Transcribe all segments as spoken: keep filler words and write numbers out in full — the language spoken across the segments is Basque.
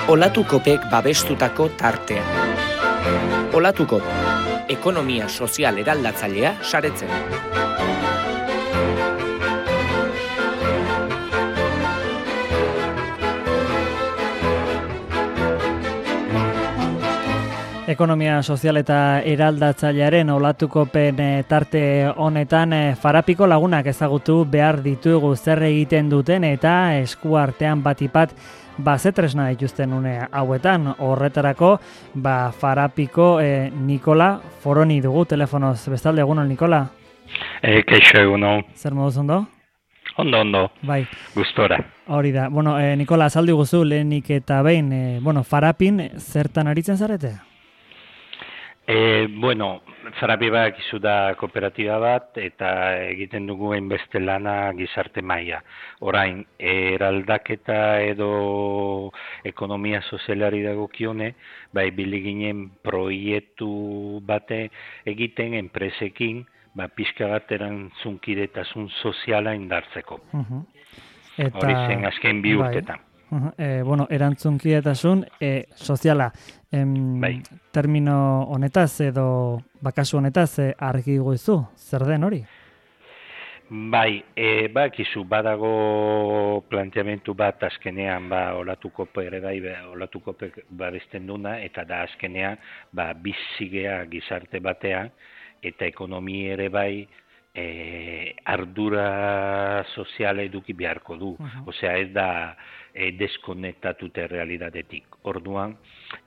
Olatukopek babestutako tartea. Olatukop, ekonomia sozial eraldatzailea saretzen. Ekonomia sozial eta eraldatzailearen Olatukopen tarte honetan Farapiko lagunak ezagutu behar ditugu zer egiten duten eta eskuartean batipat ba zetresna dituzten une hauetan. Horretarako ba Farapiko eh, Nikola Foroni dugu telefonoz. Bestalde, egunon Nikola? Eh, keixo egunon. Zer moduz ondo? Ondo, ondo. Bai. Gustora. Hori da. Bueno, eh, Nikola, azaldi guzu lehenik eta behin, eh, bueno, Farapin zertan aritzen zarete? E, bueno, Farapi badakizu da kooperatiba bat eta egiten dugu hainbeste lana gizarte maila. Orain, eraldaketa edo ekonomia sozialari dagokione, bai ibili ginen proiektu bate egiten enpresekin, ba pixka bat erantzunkidetasun soziala indartzeko. Uh-huh. Eta hori zen azken bi urtetan. Bai. Uh-huh. E, bueno, erantzunkidetasun e, soziala. Em, bai. Termino honetaz edo bakasu honetaz e, argi goizu, zer den hori? Bai, e, bakizu badago planteamentu bat azkenean ba Olatukope ere bai, Olatukope babesten duna eta da azkenean ba bizigea gizarte batean eta ekonomia ere bai e, ardura soziala eduki beharko du. Uh-huh. Osea, ez da e, deskonektatute realidadetik. Orduan,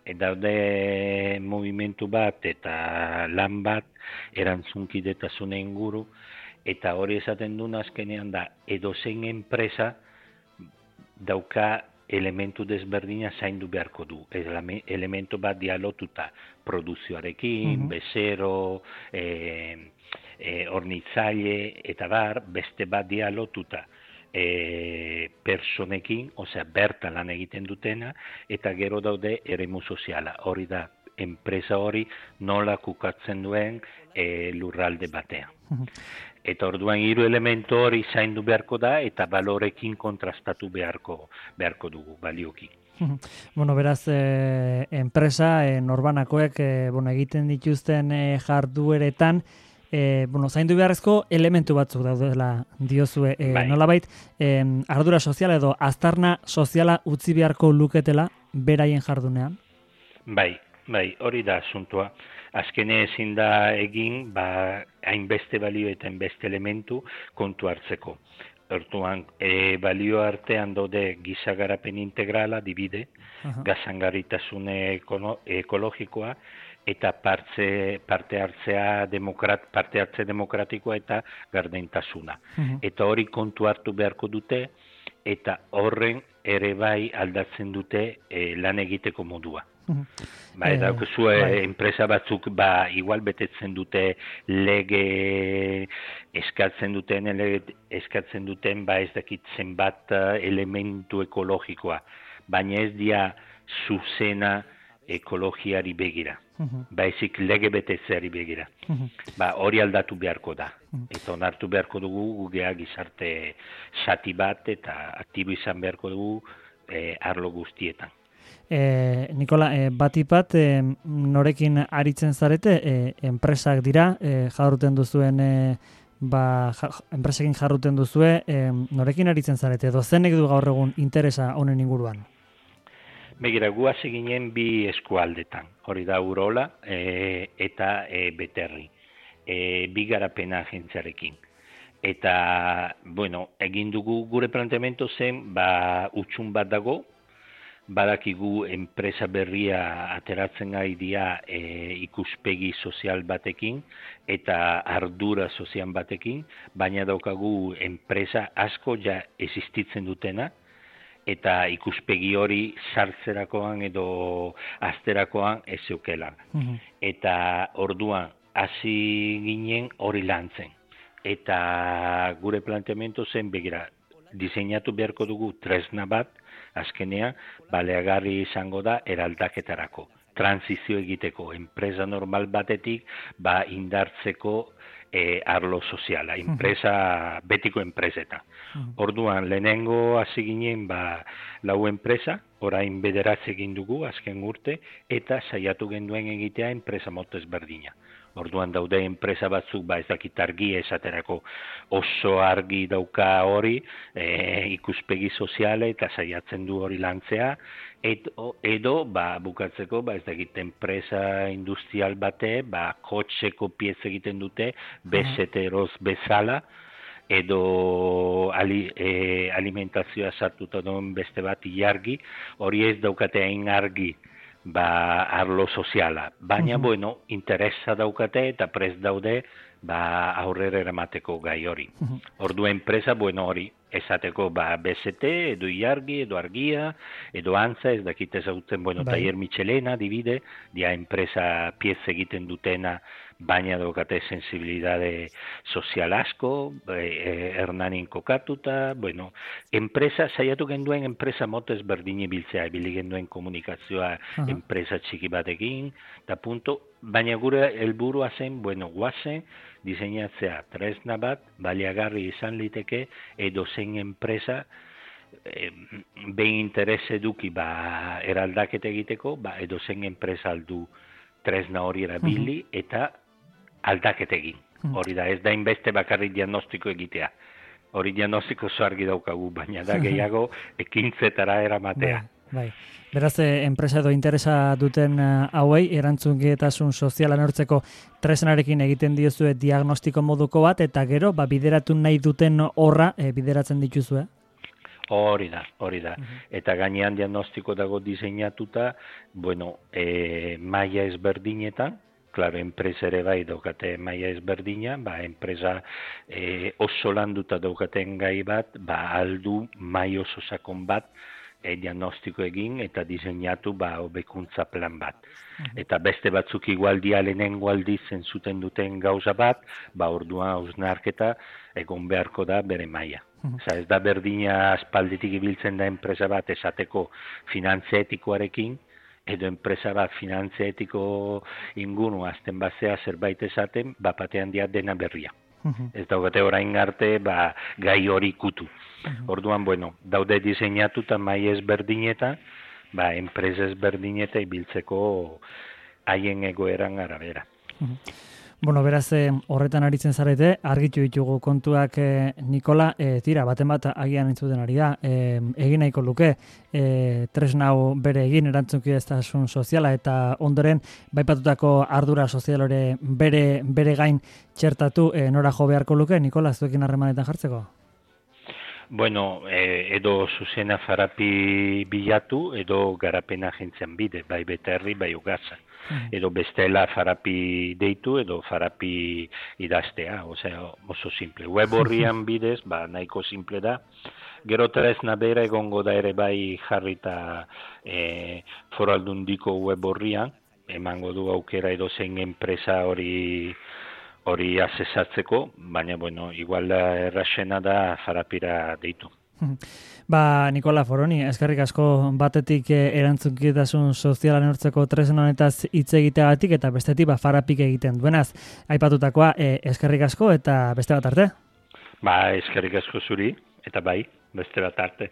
e, daude movimentu bat eta lan bat erantzunkidetasun inguru, eta hori esaten duna azkenean da edozein enpresa dauka elementu desberdina zaindu beharko du. Elementu bat dialotuta produzioarekin, uh-huh. bezero, e, e, hornitzaile eta bar, beste bat dialotuta e, personekin, osea bertan lan egiten dutena, eta gero daude eremu soziala. Hori da, enpresa hori nola kukatzen duen e, lurralde batean. Uh-huh. Eta orduan hiru elementu hori zaindu beharko da eta balorekin kontrastatu beharko beharko dugu balioki. Bueno, beraz, eh, enpresa eh, norbanakoek eh, bueno, egiten dituzten eh, jardueretan eh, bueno, zaindu beharrezko elementu batzuk daudela diozue. Eh, bai. Nolabait, eh, ardura soziala edo aztarna soziala utzi beharko luketela beraien jardunean? Bai, bai, hori da asuntua. Azkene ezin da egin, ba, hainbeste balio eta hainbeste elementu kontu hartzeko. Orduan, e, balio artean daude giza garapen integrala, dibide, uh-huh. gazangarritasune ekologikoa, eta partze, parte hartzea demokrat, parte hartze demokratikoa eta gardentasuna. Uh-huh. Eta hori kontu hartu beharko dute, eta horren ere bai aldatzen dute e, lan egiteko modua. Uh-huh. Ba, eta eh, zue bai. Enpresa batzuk ba igual betetzen dute lege eskatzen duten lege, eskatzen duten ba ez dakit zenbat elementu ekologikoa, baina ez dia zuzena ekologiari begira. Uh-huh. Baizik lege betetzeari begira. Uh-huh. Ba hori aldatu beharko da. Uh-huh. Eta onartu beharko dugu gugea gizarte zati bat eta aktibo izan beharko dugu eh, arlo guztietan. E, Nikola, e, batipat e, norekin aritzen zarete, e, enpresak dira, e, jarruten duzuen, e, ba, ja, enpresekin jarruten duzue, e, norekin aritzen zarete, dozenek du gaur egun interesa honen inguruan? Begira, guaz eginen bi eskualdetan, hori da Urola e, eta e, Beterri, e, bi garapena agentziarekin. Eta, bueno, egin dugu gure planteamendu zen, ba, utxun bat dago, badakigu enpresa berria ateratzen gai dira e, ikuspegi sozial batekin eta ardura sozial batekin, baina daukagu enpresa asko ja existitzen dutena eta ikuspegi hori sartzerakoan edo azterakoan ez zeukela. Uh-huh. Eta orduan hasi ginen hori lantzen. Eta gure planteamendu zen begira, diseinatu beharko dugu tresna bat, azkenean, baleagarri izango da eraldaketarako. Transizio egiteko, enpresa normal batetik, ba indartzeko e, arlo soziala, enpresa, betiko enpreseta. Orduan, lehenengo hasi ginen, ba, lau enpresa, orain bederatzi egin dugu, azken urte, eta saiatu genduen egitea enpresa motez berdina. Orduan daude enpresa batzuk, ba ez dakit argi esaterako oso argi dauka hori, e, ikuspegi soziale eta saiatzen du hori lantzea, edo, edo ba, bukatzeko, ba ez dakit enpresa industrial bate, ba kotxeko piez egiten dute, bezeteroz bezala, edo ali, e, alimentazioa sartuta duen beste bat ilargi, hori ez daukate hain argi, ba, arlo soziala. Baina, uh-huh. bueno, interesa daukate eta prest daude ba, aurrera eramateko gai hori. Uh-huh. Ordu enpresa, bueno, hori, esateko ba, B Z T, edo ilargi, edo argia, edo antza, ez dakite zautzen, bueno, bai. Taller Michelena, dibide, dia enpresa piez egiten dutena, baina daukate sensibilidade sozial asko, eh, hernanin kokatuta, bueno, enpresa, saiatu genduen enpresa motez berdine biltzea, ebili genduen komunikazioa uh-huh. enpresa txiki batekin, eta punto, baina gure helburua zen, bueno, guazen, diseinatzea tresna bat, baliagarri izan liteke, edo zen enpresa, eh, behin interes eduki, ba, eraldaketa egiteko, ba, edo zen enpresa aldu tresna hori erabili, uh-huh. eta aldaketegin. Hori da, ez da inbeste bakarrik diagnostiko egitea. Hori diagnostiko zo argi daukagu, baina da gehiago ekintzetara eramatea. Bai, bai. Beraz, enpresa edo interesa duten hauei, erantzunkietasun soziala neurtzeko tresnarekin egiten diozue diagnostiko moduko bat, eta gero, ba, bideratu nahi duten horra e, bideratzen dituzue? Hori da, hori da. Uh-huh. Eta gainean diagnostiko dago diseinatuta, bueno, e, maila ezberdinetan, claro, enpresa ere bai daukate maila ezberdina, ba, enpresa e, oso landuta daukaten gai bat, ba, aldu mai oso sakon bat e, diagnostiko egin eta diseinatu ba, hobekuntza plan bat. Uh-huh. Eta beste batzuk igual dialenengo aldiz zentzuten duten gauza bat, ba, orduan hausnarketa egon beharko da bere maila. Uh-huh. Oza, ez da berdina aspalditik ibiltzen da enpresa bat esateko finantzia etikoarekin, edo enpresa bat finantzia etiko ingunu azten basea zerbait esaten, bapatean dia dena berria. Uh-huh. Ez daugate orain arte ba, gai hori kutu. Uh-huh. Orduan, bueno, daude diseinatuta mai ezberdineta, ba, enpresa ezberdineta ibiltzeko haien egoeran arabera. Uh-huh. Bueno, beraz, eh, horretan aritzen zarete, argitu ditugu kontuak eh, Nikola, eh, tira, baten bat agian entzuten ari da, eh, egin nahiko luke, eh, tresna hau bere egin erantzukideztasun soziala eta ondoren baipatutako ardura sozial hori bere, bere gain txertatu eh, nora jo beharko luke, Nikola, zuekin harremanetan jartzeko? Bueno, eh, edo zuzena farapi bilatu, edo garapena agentzien bide, bai beterri, bai ugaza. Edo bestela farapi deitu, edo farapi idaztea, osea, oso simple. Web horrian bidez, ba, nahiko simple da. Gero tresna bera egongo da ere bai jarrita e, foraldundiko web horrian, emango du aukera edo zein enpresa hori hori asesatzeko, baina, bueno, igual da erraxena da farapira deitu. Ba, Nikola Foroni, eskerrik asko batetik erantzunkidetasun soziala neurtzeko tresna honetaz hitz egiteagatik eta bestetik ba, farapik egiten duenaz. Aipatutakoa e, eskerrik asko eta beste bat arte? Ba, eskerrik asko zuri eta bai, beste bat arte.